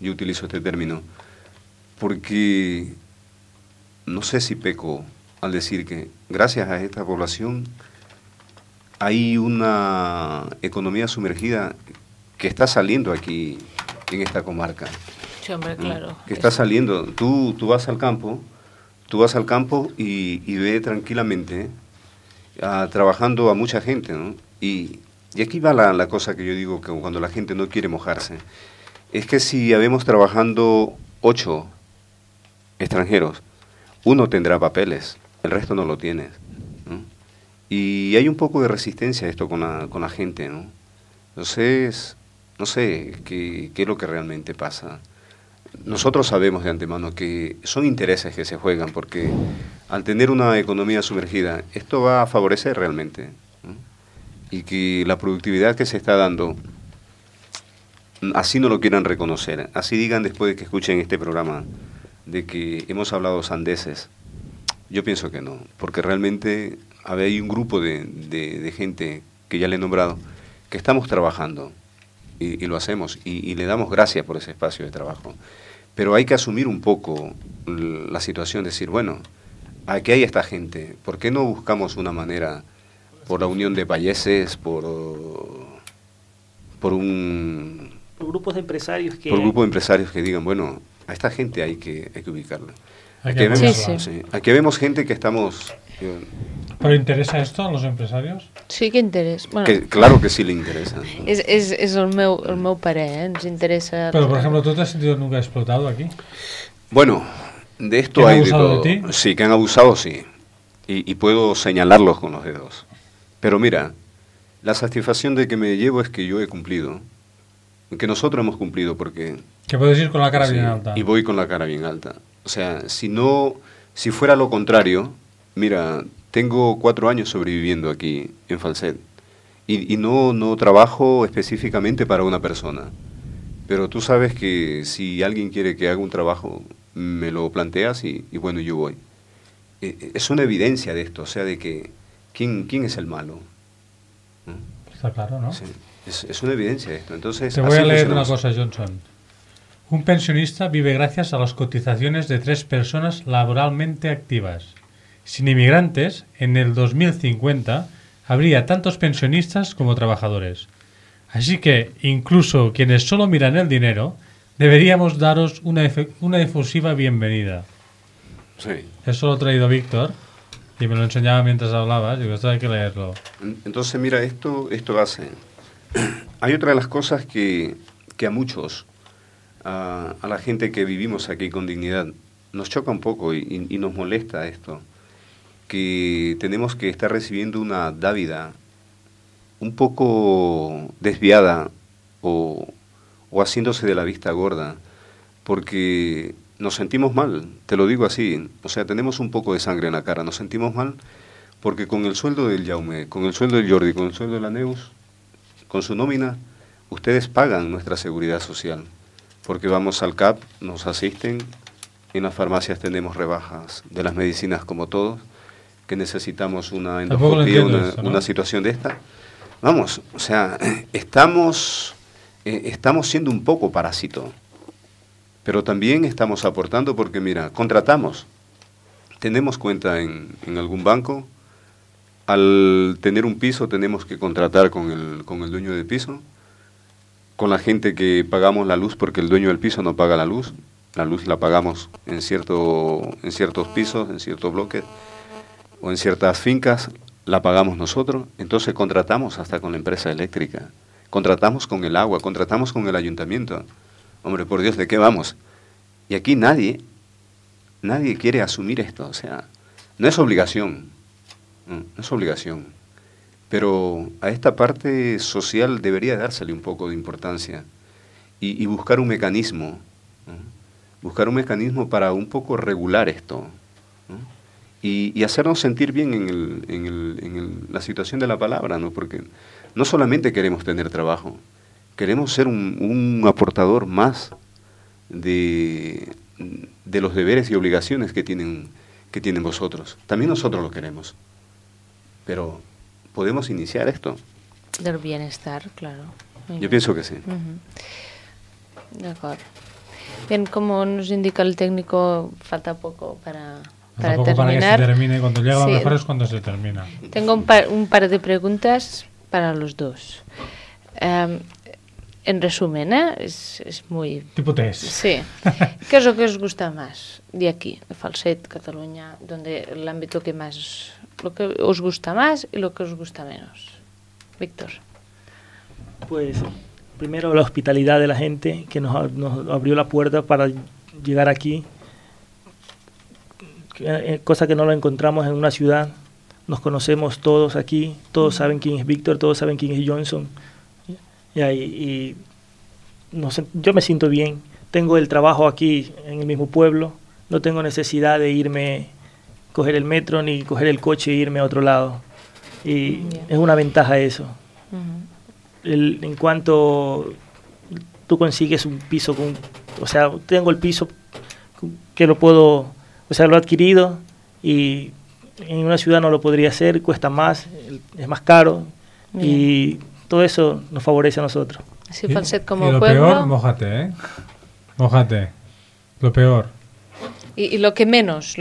yo utilizo este término, porque no sé si peco al decir que gracias a esta población hay una economía sumergida que está saliendo aquí en esta comarca. Sí, hombre, claro. Que está saliendo. Tú vas al campo y ve tranquilamente trabajando a mucha gente, ¿no? Y aquí va la cosa que yo digo, que cuando la gente no quiere mojarse, es que si habemos trabajando 8 extranjeros, uno tendrá papeles, el resto no lo tiene, ¿no? Y hay un poco de resistencia a esto con la gente, ¿no? Entonces, no sé qué es lo que realmente pasa. Nosotros sabemos de antemano que son intereses que se juegan, porque al tener una economía sumergida, esto va a favorecer realmente, ¿no? Y que la productividad que se está dando, así no lo quieran reconocer, así digan después de que escuchen este programa, de que hemos hablado sandeces, yo pienso que no, porque realmente hay un grupo de gente que ya le he nombrado, que estamos trabajando y lo hacemos y le damos gracias por ese espacio de trabajo. Pero hay que asumir un poco la situación, decir, bueno, aquí hay esta gente, ¿por qué no buscamos una manera, por la unión de países, por grupos de empresarios que... Por grupos de empresarios que digan, bueno, a esta gente hay que ubicarla. Aquí vemos gente que estamos... ¿Pero interesa esto a los empresarios? Sí que interesa. Bueno, claro que sí le interesa. És el meu parer, ens interesa... Pero, por ejemplo, ¿tú te has sentido nunca explotado aquí? Bueno, de esto ¿Que han hay de abusado todo. de ti? Sí, que han abusado, sí. Y puedo señalarlos con los dedos. Pero mira, la satisfacción de que me llevo es que yo he cumplido. Que nosotros hemos cumplido, porque... Que puedes ir con la cara bien alta. Y voy con la cara bien alta. O sea, si fuera lo contrario, mira, tengo 4 años sobreviviendo aquí en Falset. Y no trabajo específicamente para una persona. Pero tú sabes que si alguien quiere que haga un trabajo, me lo planteas y bueno, yo voy. Es una evidencia de esto, o sea, de que ¿quién es el malo? ¿No? Está claro, ¿no? Sí, es una evidencia de esto. Entonces, te voy a leer una cosa, Johnson. Un pensionista vive gracias a las cotizaciones de 3 personas laboralmente activas. Sin inmigrantes, en el 2050 habría tantos pensionistas como trabajadores. Así que, incluso quienes solo miran el dinero, deberíamos daros una efusiva bienvenida. Sí. Eso lo ha traído Víctor y me lo enseñaba mientras hablabas y digo, esto hay que leerlo. Entonces, mira, esto hace... Hay otra de las cosas que a muchos, a la gente que vivimos aquí con dignidad, nos choca un poco y nos molesta esto, que tenemos que estar recibiendo una dávida un poco desviada o haciéndose de la vista gorda, porque nos sentimos mal, te lo digo así, o sea, tenemos un poco de sangre en la cara, nos sentimos mal porque con el sueldo del Jaume, con el sueldo del Jordi, con el sueldo de la Neus, con su nómina, ustedes pagan nuestra seguridad social, porque vamos al CAP, nos asisten, en las farmacias tenemos rebajas de las medicinas como todos, que necesitamos una endoscopia, una situación de esta. Vamos, o sea, estamos siendo un poco parásito, pero también estamos aportando porque, mira, contratamos, tenemos cuenta en algún banco, al tener un piso tenemos que contratar con el dueño del piso, con la gente que pagamos la luz porque el dueño del piso no paga la luz la pagamos en ciertos pisos, en ciertos bloques o en ciertas fincas, la pagamos nosotros, entonces contratamos hasta con la empresa eléctrica, contratamos con el agua, contratamos con el ayuntamiento. Hombre, por Dios, ¿de qué vamos? Y aquí nadie quiere asumir esto, o sea, no es obligación, no es obligación, pero a esta parte social debería dársele un poco de importancia y buscar un mecanismo, ¿no? Buscar un mecanismo para un poco regular esto, ¿no? Y hacernos sentir bien en la situación de la palabra, ¿no? Porque no solamente queremos tener trabajo, queremos ser un aportador más de los deberes y obligaciones que tienen vosotros. También nosotros lo queremos, pero podemos iniciar esto. Del bienestar, claro. Yo pienso que sí. De acuerdo. Bien, como nos indica el técnico, falta poco para terminar. Para que se termine. Cuando llega lo mejor es cuando se termina. Tengo un par de preguntas para los dos. En resumen, es muy... Tipo test. Sí. ¿Qué es lo que os gusta más de aquí, de Falset, Cataluña, donde el ámbito que más... lo que os gusta más y lo que os gusta menos? Víctor. Pues primero la hospitalidad de la gente que nos abrió la puerta para llegar aquí. cosa que no lo encontramos en una ciudad. Nos conocemos todos aquí, todos saben quién es Víctor, todos saben quién es Johnson. Y no sé, yo me siento bien. Tengo el trabajo aquí en el mismo pueblo, no tengo necesidad de irme, coger el metro ni coger el coche e irme a otro lado. Y es una ventaja eso. En cuanto tú consigues un piso, o sea, tengo el piso que lo puedo, o sea, lo he adquirido y en una ciudad no lo podría hacer, cuesta más, es más caro. Bien. Y todo eso nos favorece a nosotros. Sí, Falset como y lo pueblo. Peor, mójate, mójate. Lo peor. ¿Y lo que menos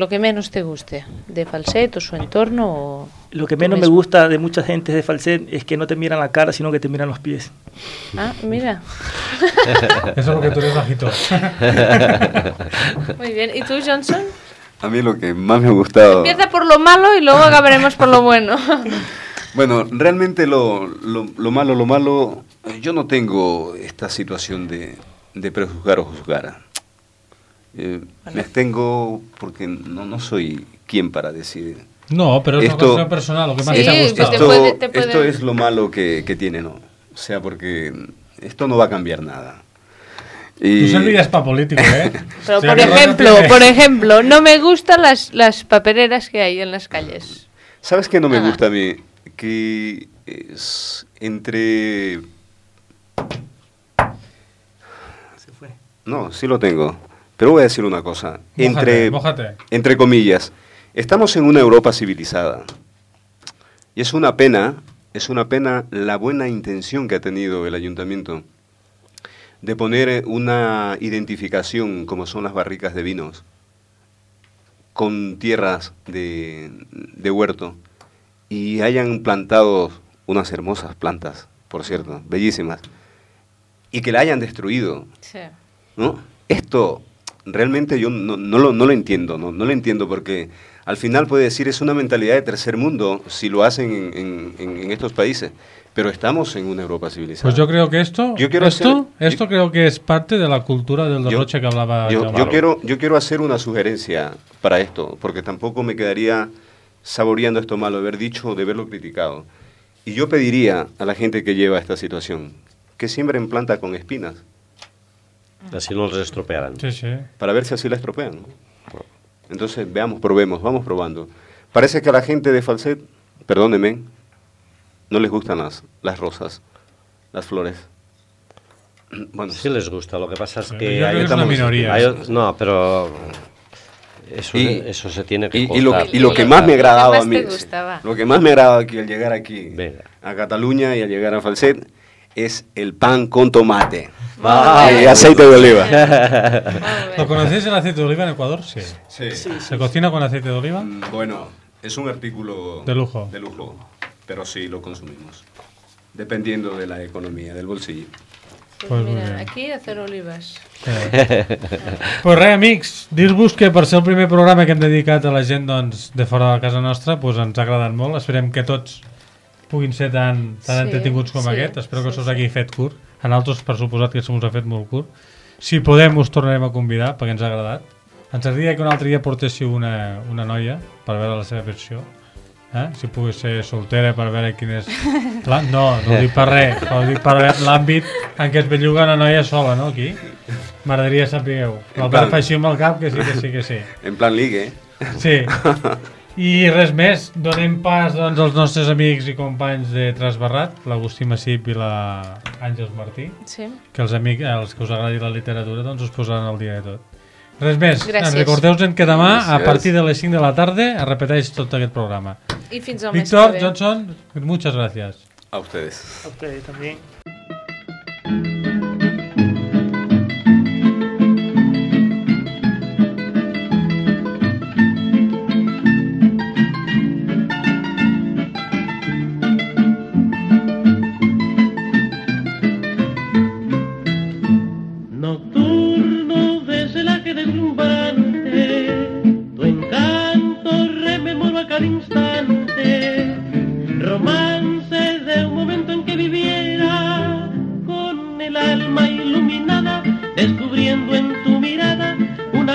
te guste de Falset o su entorno? O lo que menos me gusta de mucha gente de Falset es que no te miran la cara, sino que te miran los pies. Ah, mira. Eso es porque tú eres bajito. Muy bien. ¿Y tú, Johnson? A mí lo que más me ha gustado... Empieza por lo malo y luego acabaremos por lo bueno. Bueno, realmente lo malo, yo no tengo esta situación de prejuzgar o juzgar. Me abstengo porque no soy quien para decidir. No, pero es una cuestión personal, lo que más te ha gustado. Esto es lo malo que tiene, ¿no? O sea, porque esto no va a cambiar nada. Tú servías para político, ¿eh? Pero, por ejemplo, no me gustan las papeleras que hay en las calles. ¿Sabes qué no me gusta a mí? Que es entre... Se fue. No, sí lo tengo. Pero voy a decir una cosa. Mójate. Entre comillas, estamos en una Europa civilizada. Y es una pena la buena intención que ha tenido el ayuntamiento de poner una identificación, como son las barricas de vinos, con tierras de huerto, y hayan plantado unas hermosas plantas, por cierto, bellísimas, y que la hayan destruido. Sí. ¿No? Esto realmente yo no lo entiendo, no lo entiendo, porque al final puede decir es una mentalidad de tercer mundo si lo hacen en estos países. Pero estamos en una Europa civilizada. Pues yo creo que esto creo que es parte de la cultura del derroche que hablaba yo quiero hacer una sugerencia para esto, porque tampoco me quedaría saboreando esto malo, de haber dicho, de haberlo criticado. Y yo pediría a la gente que lleva esta situación que siembren planta con espinas. Así no los estropearán. Sí, sí. Para ver si así la estropean, ¿no? Entonces, probemos, vamos probando. Parece que a la gente de Falset, perdónenme, no les gustan las rosas, las flores. Bueno, sí les gusta, lo que pasa es que... Yo creo que es una minoría. No, pero eso se tiene que cortar. Y lo que más me ha agradado a mí, lo que más me ha agradado aquí al llegar aquí a Cataluña y al llegar a Falset, es el pan con tomate y aceite de oliva. ¿Lo conocéis el aceite de oliva en Ecuador? Sí. ¿Se cocina con aceite de oliva? Bueno, es un artículo de lujo. Pero sí lo consumimos, dependiendo de la economia, del bolsillo. Pues mira, aquí hacer olivas. Pues res, amics, dir-vos que per ser el primer programa que hem dedicat a la gent doncs, de fora de casa nostra ens ha agradat molt. Esperem que tots puguin ser tan entretinguts com aquest. Espero que us hagi fet curt. En altres, per suposat, que se us ha fet molt curt. Si podem, us tornarem a convidar, perquè ens ha agradat. Ens agradaria que un altre dia portéssiu una noia per veure la seva versió. Si pogués ser soltera per veure quin és... No ho dic per res, ho dic per l'àmbit en què es belluga una noia sola, no, aquí? M'agradaria saber. L'Albert fa així amb el cap, que sí. En plan ligue, Sí. I res més, donem pas doncs, als nostres amics i companys de Trasbarrat, l'Agustí Massip i l'Àngels Martí, que els que us agradi la literatura doncs us posaran al dia de tot. Res més, recordeu-vos que demà a partir de les 5 de la tarda es repeteix tot aquest programa. I fins al mes que ve. Víctor, Johnson, muchas gracias. A ustedes. A ustedes también.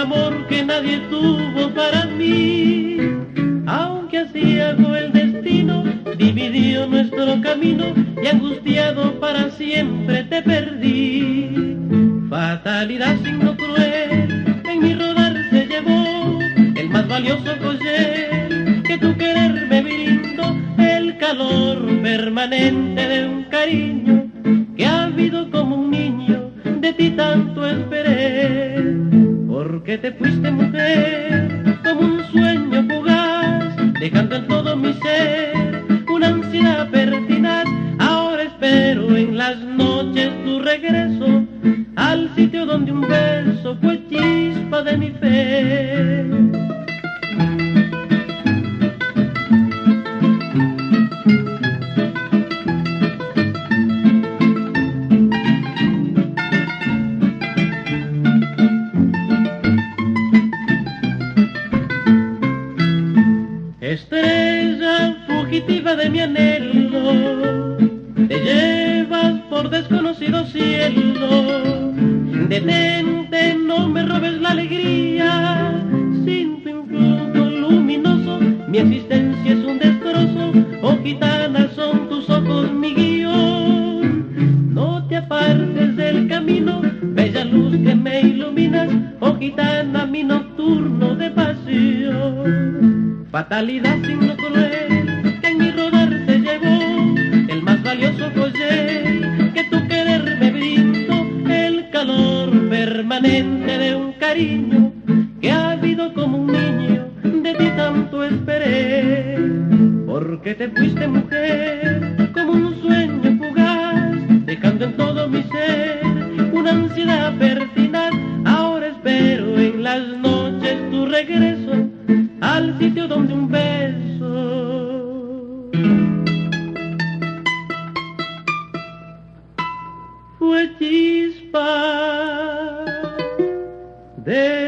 amor que nadie tuvo para mí. Aunque aciago el destino dividió nuestro camino y angustiado para siempre te perdí. Fatalidad, signo cruel, en mi rodar se llevó el más valioso collar que tu querer me brindó, el calor permanente de un cariño que ha habido como un niño, de ti tanto esperé. Porque te fuiste, mujer, como un sueño fugaz, dejando en todo mi ser una ansiedad pertinaz. Ahora espero en las noches tu regreso al sitio donde un beso fue chispa de mi fe. Estrella fugitiva de mi anhelo, te llevas por desconocido cielo. Detente, no me robes la alegría, sin tu influjo luminoso mi existencia es un destrozo. Oh gitana, son tus ojos mi guión, no te apartes del camino, bella luz que me iluminas. Oh gitana, mi nocturno de pasión. Fatalidad, signo cruel, que en mi rodar se llevó el más valioso collar que tu querer me brindó, el calor permanente de un cariño que ha habido como un niño, de ti tanto esperé. Porque te fuiste, mujer, como un sueño fugaz, dejando en todo mi ser una ansiedad pertinaz. Ahora espero en las noches tu regreso al sitio donde un beso fue chispa de